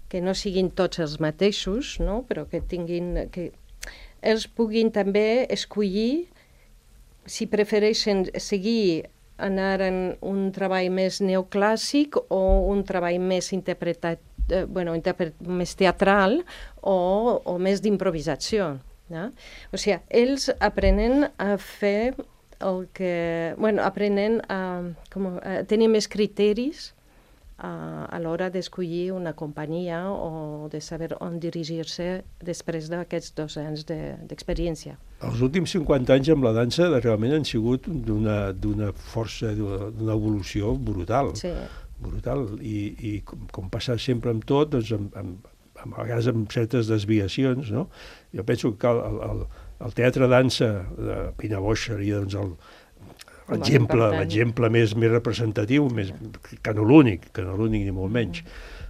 que no siguin tots els mateixos, no? Però que tinguin, que ells puguin també escollir si prefereixen seguir anar en un treball més neoclàssic o un treball més interpretat, eh, bueno, interpret, més teatral o, o més d'improvisació. No? O sigui, ells aprenen a fer el que, bueno, aprenen a, com, a tenir més criteris a, a l'hora d'escollir una companyia o de saber on dirigir-se després d'aquests dos anys d'experiència. De, Els últims cinquanta anys amb la dansa realment han sigut d'una d'una força, d'una evolució brutal. Sí. Brutal. I, i com, com passa sempre amb tot, doncs amb, amb, amb, a vegades amb certes desviacions, no? Jo penso que el, el, el teatre dansa de Pina Bausch seria doncs, l'exemple l'exemple més, més representatiu, més, que no l'únic, que no l'únic ni molt menys,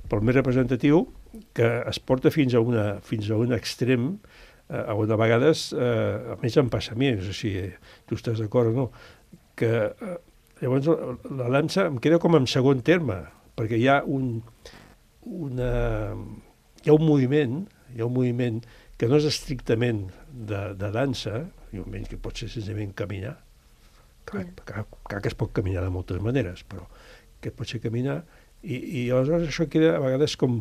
però el més representatiu que es porta fins a, una, fins a un extrem eh, on a vegades, eh, a més em passa a mi, no sé si tu estàs d'acord o no, que eh, llavors la dansa em queda com en segon terme, perquè hi ha un, una, hi ha un moviment, hi ha un moviment que no és estrictament de, de dansa, que pot ser senzillament caminar, clar, yeah. clar, clar que es pot caminar de moltes maneres, però que pot ser caminar, i, i aleshores això queda a vegades com,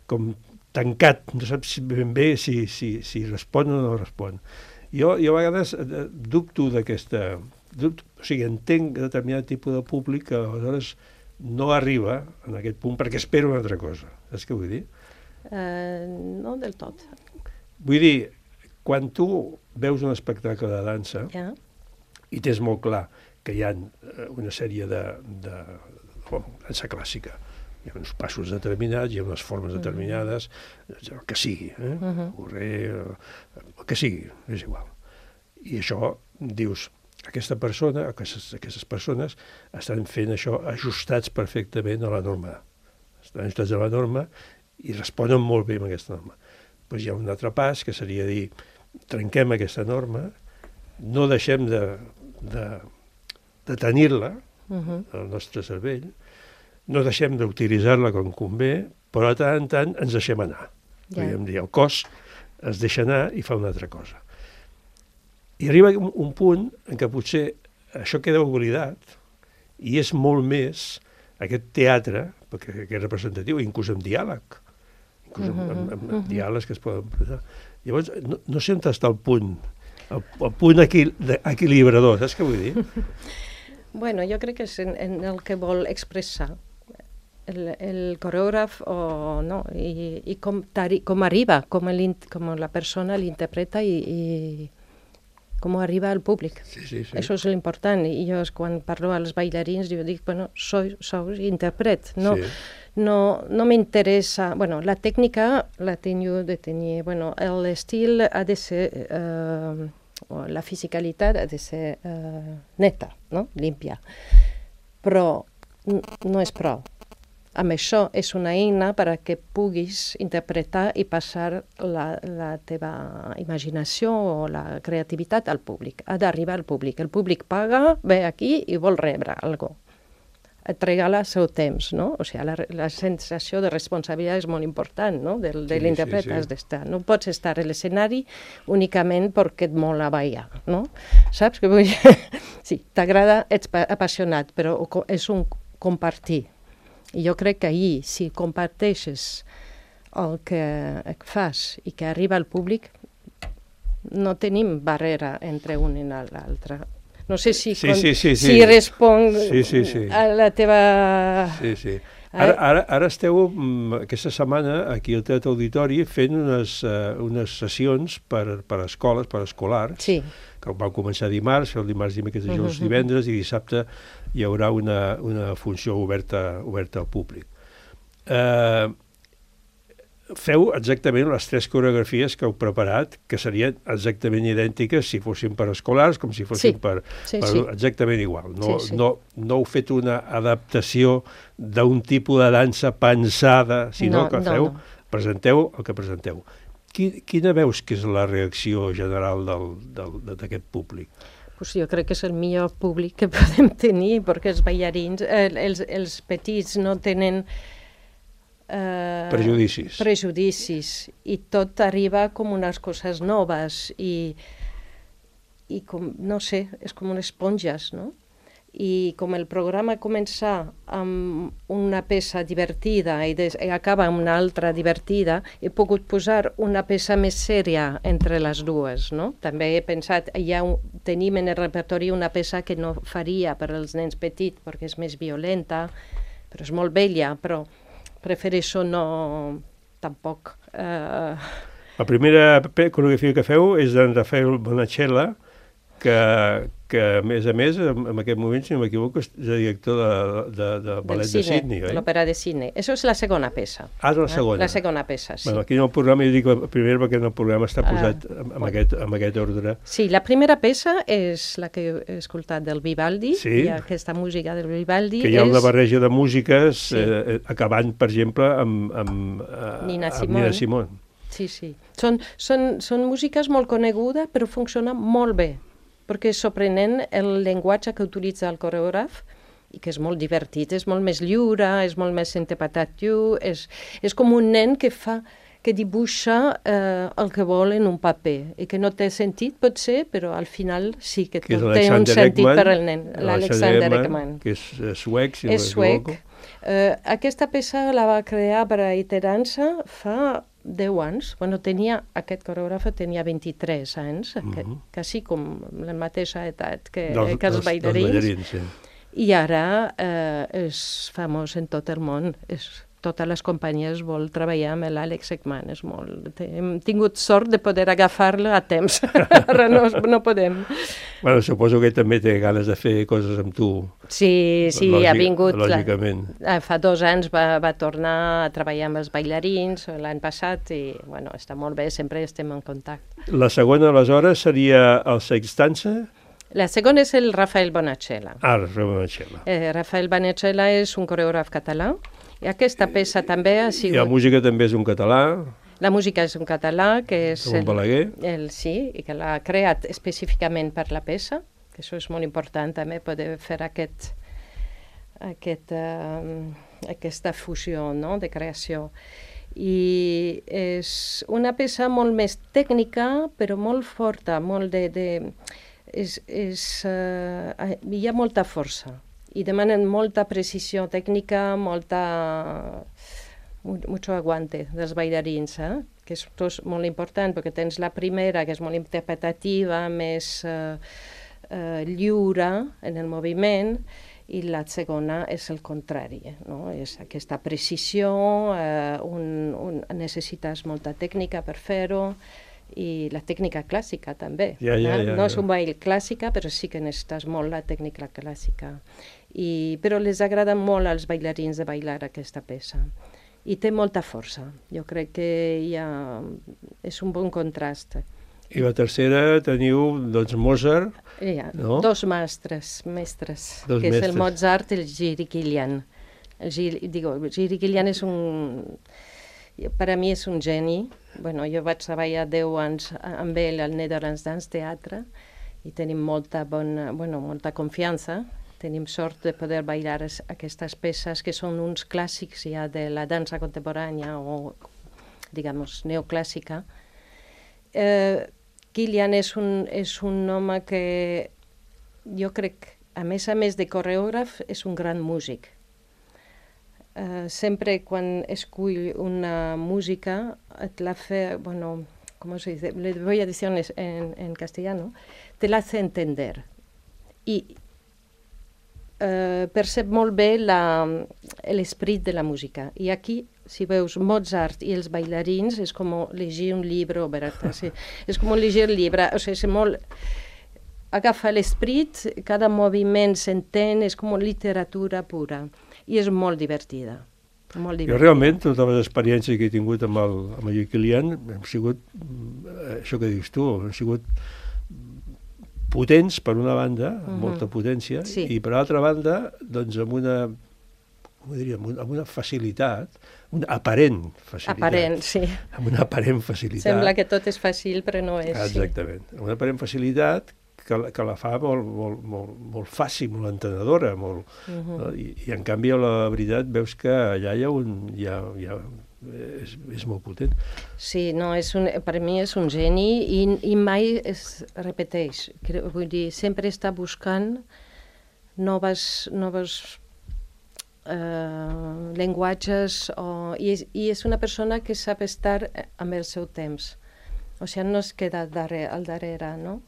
com tancat, no saps ben bé si, si, si respon o no respon. Jo, jo a vegades dubto d'aquesta... Dubto, o sigui, entenc determinat tipus de públic que aleshores no arriba en aquest punt perquè espera una altra cosa. Saps què vull dir? Uh, no del tot. Vull dir, quan tu veus un espectacle de dansa yeah. i tens molt clar que hi ha una sèrie de, de, de dansa clàssica, hi ha uns passos determinats, hi ha unes formes uh-huh. determinades, el que sigui, eh? Uh-huh. Correr, el que sigui, és igual. I això, dius, aquesta persona, aquestes, aquestes persones estan fent això ajustats perfectament a la norma. Estan ajustats a la norma i responen molt bé amb aquesta norma. Doncs hi ha un altre pas, que seria dir, trenquem aquesta norma, no deixem de, de, de tenir-la uh-huh. al nostre cervell, no deixem d'utilitzar-la com convé, però de tant en tant ens deixem anar. Yeah. Podríem dir, el cos es deixa anar i fa una altra cosa. I arriba un, un punt en què potser això queda oblidat i és molt més aquest teatre, perquè és representatiu, inclús amb diàleg, inclús amb, amb, amb, amb diàlegs que es poden presentar. Llavors, no, no sé on està el punt, el, el punt equil, equilibrador, saps què vull dir? Bueno, jo crec que és en, en el que vol expressar el, el coreògraf o no, i, i com, com arriba, com, el, com la persona l'interpreta i, i com arriba al públic. Sí, sí, sí. Això és l'important. I jo, quan parlo als bailarins, jo dic, bueno, soy, sou intèrpret. No, sí. no, no m'interessa... Bueno, la tècnica la tengo de tenir... Bueno, l'estil ha de ser... Eh, la fisicalitat ha de ser eh, neta, no? Límpia. Però no és prou. amb això és una eina per a que puguis interpretar i passar la, la teva imaginació o la creativitat al públic. Ha d'arribar al públic. El públic paga, ve aquí i vol rebre alguna cosa. Et regala el seu temps, no? O sigui, la, la sensació de responsabilitat és molt important, no? De, de sí, l'intèrpret sí, sí. has d'estar. No pots estar a l'escenari únicament perquè et mola ballar, no? Saps què vull dir? Sí, t'agrada, ets apassionat, però és un compartir. I jo crec que ahir, si comparteixes el que fas i que arriba al públic, no tenim barrera entre un i l'altre. No sé si, sí, sí, sí, sí. si responc sí, sí, sí. a la teva... Sí, sí. Ara, ara, ara esteu aquesta setmana aquí al Teatre Auditori fent unes, uh, unes sessions per, per escoles, per escolars, sí. que vau començar dimarts, el dimarts, dimecres, dijous, uh -huh. divendres, i dissabte hi haurà una, una funció oberta, oberta al públic. Uh, feu exactament les tres coreografies que heu preparat, que serien exactament idèntiques si fossin per escolars, com si fossin sí. per... Sí, per sí. exactament igual. No, sí, sí. no, no heu fet una adaptació d'un tipus de dansa pensada, sinó no, que no, feu, no. presenteu el que presenteu. Quina veus que és la reacció general d'aquest públic? Pues jo crec que és el millor públic que podem tenir, perquè els ballarins, eh, els, els petits no tenen... Uh, prejudicis. prejudicis i tot arriba com unes coses noves i, i com, no sé, és com unes esponges, no? I com el programa comença amb una peça divertida i, des, i acaba amb una altra divertida, he pogut posar una peça més sèria entre les dues, no? També he pensat, ja un, tenim en el repertori una peça que no faria per als nens petits perquè és més violenta, però és molt bella, però prefereixo no... tampoc... Uh... La primera coreografia que feu és d'en Rafael Bonachella, que, que a més a més, en aquest moment, si no m'equivoco, és director de, de, de ballet de Sydney, oi? De l'òpera de Sydney. Això és la segona peça. Ah, és la segona? La segona peça, sí. Bueno, aquí en el programa, jo dic la primera perquè en el programa està posat ah, amb, bueno. aquest, amb aquest ordre. Sí, la primera peça és la que he escoltat del Vivaldi, sí. i aquesta música del Vivaldi que hi ha és... una barreja de músiques, sí. eh, acabant, per exemple, amb, amb, eh, Nina amb Nina Simone. Sí, sí. Són, són, són músiques molt conegudes, però funcionen molt bé, perquè és sorprenent el llenguatge que utilitza el coreògraf i que és molt divertit, és molt més lliure, és molt més interpretatiu, és, és com un nen que fa que dibuixa eh, el que vol en un paper i que no té sentit, potser, però al final sí que, que té un sentit Ekman, per al nen, l'Alexander Ekman. Que és suec, si és no m'equivoco. Uh, aquesta peça la va crear per a Iterança fa deu anys. Bueno, tenia, aquest coreògraf tenia vint-i-tres anys, uh -huh. que, quasi com la mateixa edat que, dels, que els dels, ballarins. Dels ballarins sí. I ara eh, és famós en tot el món. És, totes les companyies vol treballar amb l'Àlex Ekman. És molt... Hem tingut sort de poder agafar-lo a temps. Ara no, no podem. Bueno, suposo que també té ganes de fer coses amb tu. Sí, sí, Lògic, ha vingut... Lògicament. La, fa dos anys va, va tornar a treballar amb els ballarins, l'any passat, i bueno, està molt bé, sempre estem en contacte. La segona, aleshores, seria el Sextança? La segona és el Rafael Bonachella. Ah, Rafael Bonachella. Eh, Rafael Bonachella és un coreògraf català, i aquesta peça també ha sigut... I la música també és un català. La música és un català, que és... Un Balaguer. El, el, sí, i que l'ha creat específicament per la peça, que això és molt important també, poder fer aquest, aquest, uh, aquesta fusió, no?, de creació. I és una peça molt més tècnica, però molt forta, molt de... de és, és, uh, hi ha molta força. I demanen molta precisió tècnica, molta... mucho aguante dels ballarins, eh? Que és tot molt important, perquè tens la primera, que és molt interpretativa, més eh, eh, lliure en el moviment, i la segona és el contrari, no? És aquesta precisió, eh, un, un, necessites molta tècnica per fer-ho, i la tècnica clàssica també. Ja, ja, ja, no ja. és un ball clàssica, però sí que necessites molt la tècnica clàssica. I, però les agrada molt als ballarins de ballar aquesta peça. I té molta força. Jo crec que hi ha... és un bon contrast. I la tercera teniu, doncs, Mozart, Hi ha no? dos mestres, mestres dos que mestres. és el Mozart i el Giri Kilian, El Gil, digo, Giri Kilian és un... Per a mi és un geni. Bueno, jo vaig treballar deu anys amb ell al Netherlands Dance Theatre i tenim molta, bona, bueno, molta confiança. Tenim sort de poder bailar aquestes peces que són uns clàssics ja de la dansa contemporània o, digamos, neoclàssica. Eh, Kilian és un, és un home que jo crec, a més a més de coreògraf, és un gran músic. Eh, sempre quan escull una música et la fe, bueno, ¿cómo se dice? Le voy a decir en, en castellano, te la hace entender. I Uh, percep molt bé l'esperit de la música. I aquí, si veus Mozart i els bailarins, és com llegir un llibre obert. Sí. És com llegir un llibre. O sigui, és molt... Agafa l'esperit, cada moviment s'entén, és com literatura pura. I és molt divertida. Molt divertida. Jo realment, totes les experiències que he tingut amb el, amb el Kilian, han sigut, això que dius tu, han sigut potents, per una banda, amb uh-huh. molta potència, sí. I per altra banda, doncs amb una, com diria, amb una facilitat, una aparent facilitat. Aparent, sí. Amb una aparent facilitat. Sembla que tot és fàcil, però no és. Exactament. Sí. Una aparent facilitat que, que la fa molt, molt, molt, molt fàcil, molt entenedora, molt, uh-huh. no? I, I en canvi, la veritat, veus que allà hi ha un... Hi ha, hi ha, És, és molt potent. Sí, no, és un, per mi és un geni i, i mai es repeteix. Vull dir, sempre està buscant noves, noves eh, llenguatges o, i, és, i és una persona que sap estar amb el seu temps. O sigui, no es queda darrere, al darrere, no?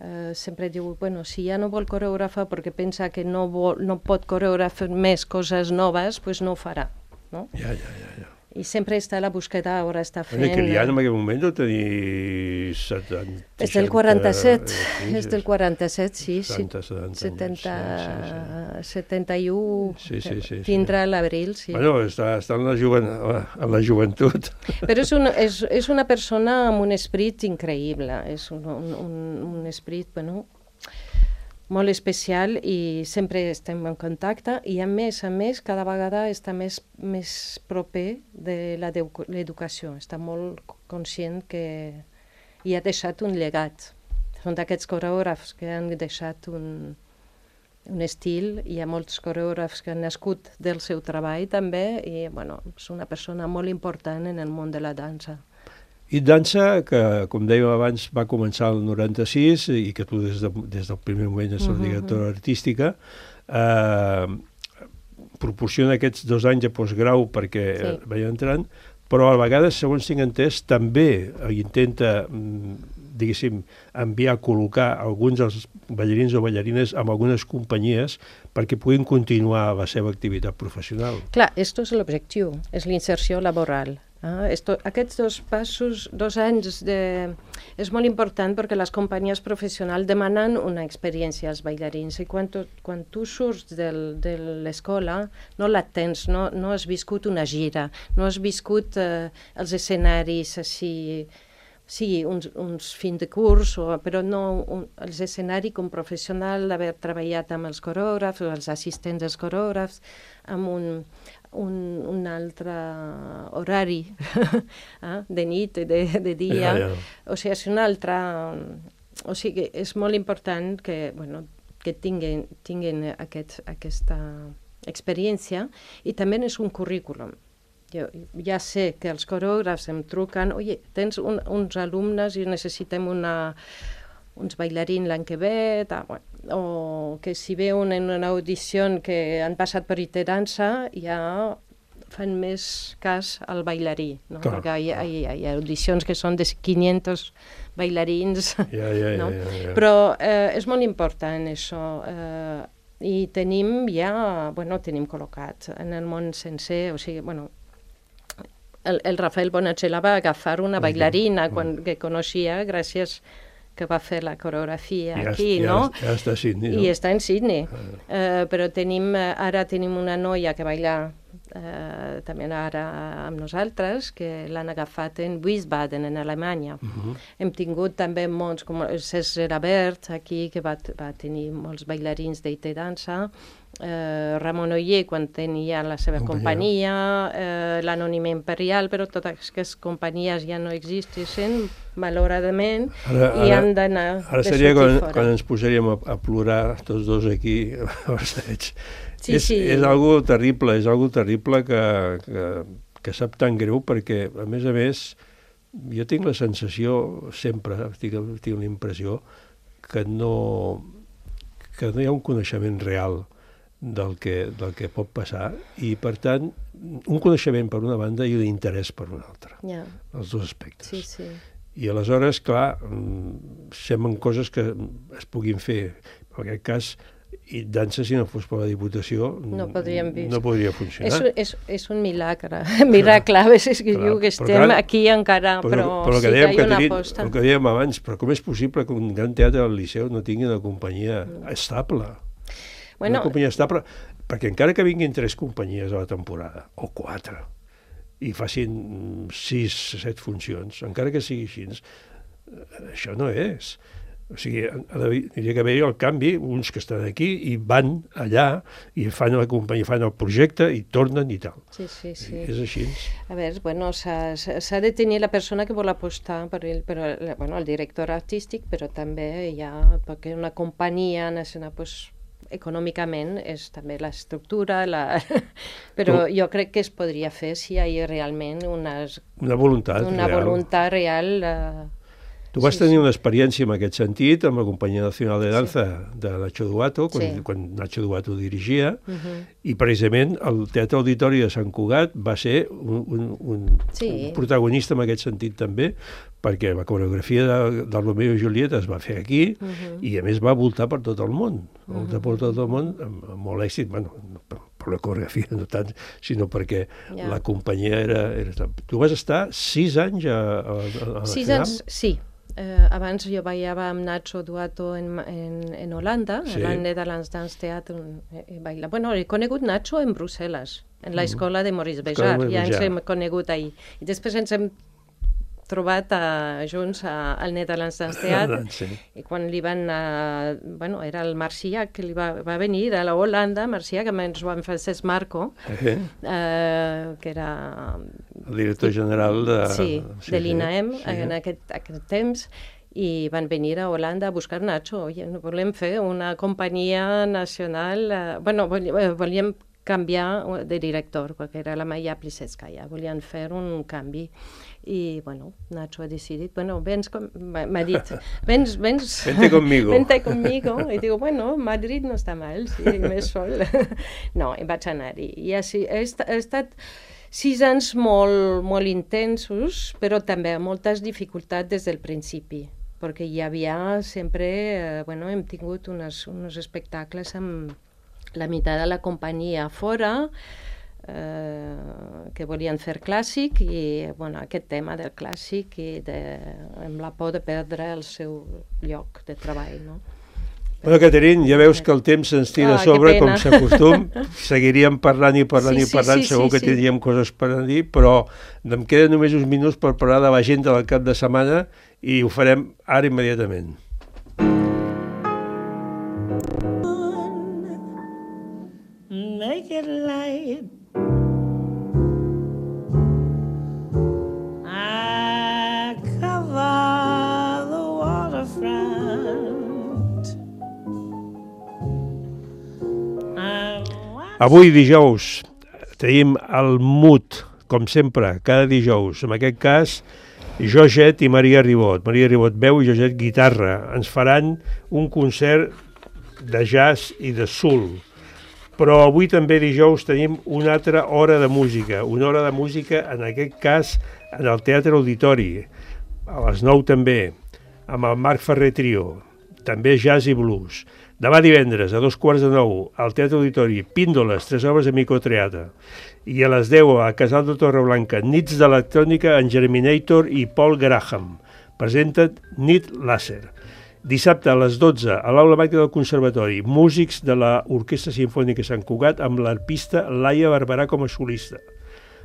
Eh, sempre diu, bueno, si ja no vol coreògrafa perquè pensa que no, vol, no pot coreografar més coses noves, doncs pues no ho farà, no? Ja, ja, ja, ja. I sempre està a la búsqueda, ara està fent... Bueno, Kilian en aquell moment deu tenir setanta... És del quaranta-set, sí, és del quaranta-set, sí. setanta, setanta setenta, anys. Sí, sí. setanta-u, sí, sí, sí, tindrà sí. l'abril, sí. Bueno, està, està en, la joven, en la joventut. Però és una, és, és una persona amb un esperit increïble, és un, un, un esperit, bueno... molt especial i sempre estem en contacte i a més a més cada vegada està més, més proper de l'educació, està molt conscient que hi ha deixat un llegat. Són d'aquests coreògrafs que han deixat un, un estil, hi ha molts coreògrafs que han nascut del seu treball també i bueno, és una persona molt important en el món de la dansa. I dansa, que, com dèiem abans, va començar el noranta-sis i que tu des, de, des del primer moment ets la directora uh-huh. artística, eh, proporciona aquests dos anys de postgrau perquè sí. vaig entrant, però a vegades, segons tinc entès, també intenta, diguéssim, enviar a col·locar alguns dels ballarins o ballarines amb algunes companyies perquè puguin continuar la seva activitat professional. Clar, això és l'objectiu, és l'inserció laboral. Ah, esto, aquests dos passos, dos anys, de, és molt important perquè les companyies professionals demanen una experiència als ballarins i quan tu, quan tu surts del, de l'escola no la tens, no, no has viscut una gira, no has viscut eh, els escenaris així, sí, uns, uns fins de curs, o, però no un, els escenaris com professional, d'haver treballat amb els coreògrafs o els assistents dels coreògrafs, amb un, un, un altre horari eh, de nit, de, de dia, ja, ja. O sigui, és un altre... O sigui, és molt important que, bueno, que tinguin, tinguin aquest, aquesta experiència i també és un currículum. Jo ja sé que els coreògrafs em truquen, oi, tens un, uns alumnes i necessitem una, uns bailarins l'any que ve, ta, bueno, o que si veuen en una audició que han passat per itinerança, ja fan més cas al bailarí, no? Clar, perquè hi ha, hi, ha, hi ha audicions que són de quinientos bailarins, ja, ja, no? ja, ja, ja. Però eh, és molt important això, eh, i tenim ja, bueno, tenim col·locat en el món sencer, o sigui, bueno, el, el Rafael Bonachela va agafar una bailarina quan, que coneixia gràcies que va fer la coreografia ja, aquí, ja, no? Ja està a Sydney, no? I està en Sydney. Ah. Uh, però tenim, ara tenim una noia que baila eh, també ara amb nosaltres, que l'han agafat en Wiesbaden, en Alemanya. Uh-huh. Hem tingut també molts, com César Abert, aquí, que va, va tenir molts bailarins d'I T dansa, eh, Ramon Oller, quan tenia la seva companyia, eh, l'Anònima Imperial, però totes aquestes companyies ja no existeixen, malauradament, ara, i ara, han d'anar ara seria quan, quan ens posaríem a, a plorar tots dos aquí a Barcelona. Sí, és, sí. és algo terrible, és algo terrible que, que, que sap tan greu, perquè, a més a més, jo tinc la sensació, sempre, tinc, tinc la impressió, que no, que no hi ha un coneixement real del que, del que pot passar, i per tant un coneixement per una banda i un interès per una altra, yeah. els dos aspectes. Sí, sí. I aleshores, clar, semblen coses que es puguin fer. En aquest cas, i dansa, si no fos per la Diputació, no, no podria funcionar. És, és, és un milagre, miracle, a vegades que diu que estem clar, aquí encara, però, però, però sí que hi ha una aposta. El que dèiem abans, però com és possible que un gran teatre del Liceu no tingui una companyia mm. estable? Bueno, una companyia estable, perquè encara que vinguin tres companyies a la temporada, o quatre, i facin sis, set funcions, encara que sigui així, això no és. O sigui, hauria que haver-hi el canvi, uns que estan aquí i van allà i fan la companyia, fan el projecte i tornen i tal. Sí, sí, sí. I és així. A veure, bueno, s'ha de tenir la persona que vol apostar per el, per el, bueno, el director artístic, però també hi ha, perquè una companyia nacional, pues, econòmicament és també l'estructura, la... però jo crec que es podria fer si hi ha realment unes... una voluntat una real. voluntat real uh... Tu vas sí, tenir sí. una experiència en aquest sentit amb la Companyia Nacional de Danza sí. de Nacho Duato, quan, sí. quan Nacho Duato dirigia, uh-huh. i precisament el Teatre Auditori de Sant Cugat va ser un, un, un, sí. un protagonista en aquest sentit també, perquè la coreografia de, del Romeo i Julieta es va fer aquí, uh-huh. i a més va voltar per tot el món, uh-huh. voltar per tot el món amb, amb molt èxit, bueno, no, per, per la coreografia no tant, sinó perquè yeah. la companyia era, era... Tu vas estar sis anys a, a, a la sis final? Anys, sí. Eh, abans jo ballava amb Nacho Duato en, en, en Holanda, sí. a la Netherlands Dance Theatre. Eh, baila. Bueno, he conegut Nacho en Brussel·les, en l'escola de Maurice Béjart, ja ens hem conegut ahir. I després ens hem trobat a, junts a, al Netherlands Dance Theatre, sí. i quan li van, uh, bueno, era el Marciac que li va, va venir de la Holanda, Marciac, amb en Joan Francesc Marco, uh-huh. uh, que era... el director general de... Sí, sí de l'I N A E M, sí. en aquest, aquest temps, i van venir a Holanda a buscar Nacho. Oye, volem fer una companyia nacional, uh, bueno, volíem canviar de director, perquè era la Maia Plisetskaya, volien fer un canvi. I, bueno, Nacho ha decidit, bueno, vens, m'ha dit, vens, vens... Vente conmigo. Vente conmigo. I digo, bueno, Madrid no està mal, sí, més sol. No, i vaig anar-hi. I així, he, he estat sis anys molt, molt intensos, però també amb moltes dificultats des del principi, perquè hi havia sempre, eh, bueno, hem tingut unes, uns espectacles amb la meitat de la companyia fora, Eh, que volien fer clàssic, i bueno, aquest tema del clàssic i de, amb la por de perdre el seu lloc de treball, no? Bueno, Caterine, ja veus que el temps se'ns tira a sobre, com s'acostum. Seguiríem parlant i parlant sí, i parlant, sí, sí, segur sí, que tindríem sí. coses per dir, però em queden només uns minuts per parlar de l'agenda del cap de setmana i ho farem ara immediatament. Make it light. I cover the waterfront. Avui dijous tenim el Mut, com sempre, cada dijous. En aquest cas, Georgette i Maria Ribot. Maria Ribot veu i Georgette guitarra. Ens faran un concert de jazz i de soul. Però avui també dijous tenim una altra hora de música, una hora de música en aquest cas en el Teatre Auditori, a les nou també, amb el Marc Ferrer Trio, també jazz i blues. Demà divendres, a dos quarts de nou, al Teatre Auditori, Píndoles, tres obres de microteatre. I a les deu, a Casal de Torreblanca, Nits d'electrònica en Germinator i Paul Graham. Presenten Nit Láser. Dissabte a les dotze, a l'Aula Magna del Conservatori, músics de l'Orquestra Simfònica Sant Cugat amb l'arpista Laia Barberà com a solista.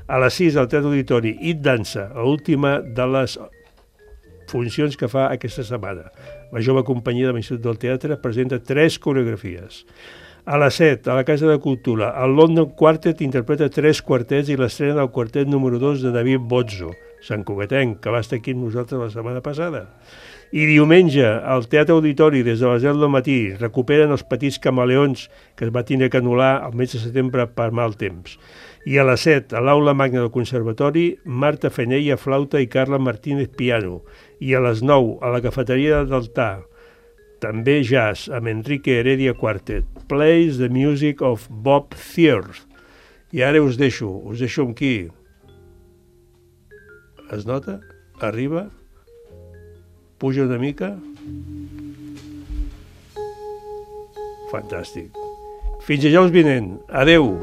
A les sis, al Teatre Auditori, It Dansa, l'última de les funcions que fa aquesta setmana. La jove companyia de l'Institut del Teatre presenta tres coreografies. A les set, a la Casa de Cultura, el London Quartet interpreta tres quartets i l'estrena del quartet número dos de David Bozzo, santcugatenc, que va estar aquí amb nosaltres la setmana passada. I diumenge, al Teatre Auditori, des de les deu del matí, recuperen els Petits Camaleons, que es va tenir que anul·lar el mes de setembre per mal temps. I a les set, a l'Aula Magna del Conservatori, Marta Fenella, flauta, i Carla Martínez, piano. I a les nou, a la Cafeteria d'Altar, també jazz, amb Enrique Heredia Quartet. Plays the music of Bob Thiers. I ara us deixo, us deixo amb qui? Es nota? Arriba? Puja una mica? Fantàstic. Fins dijous vinent. Adeu.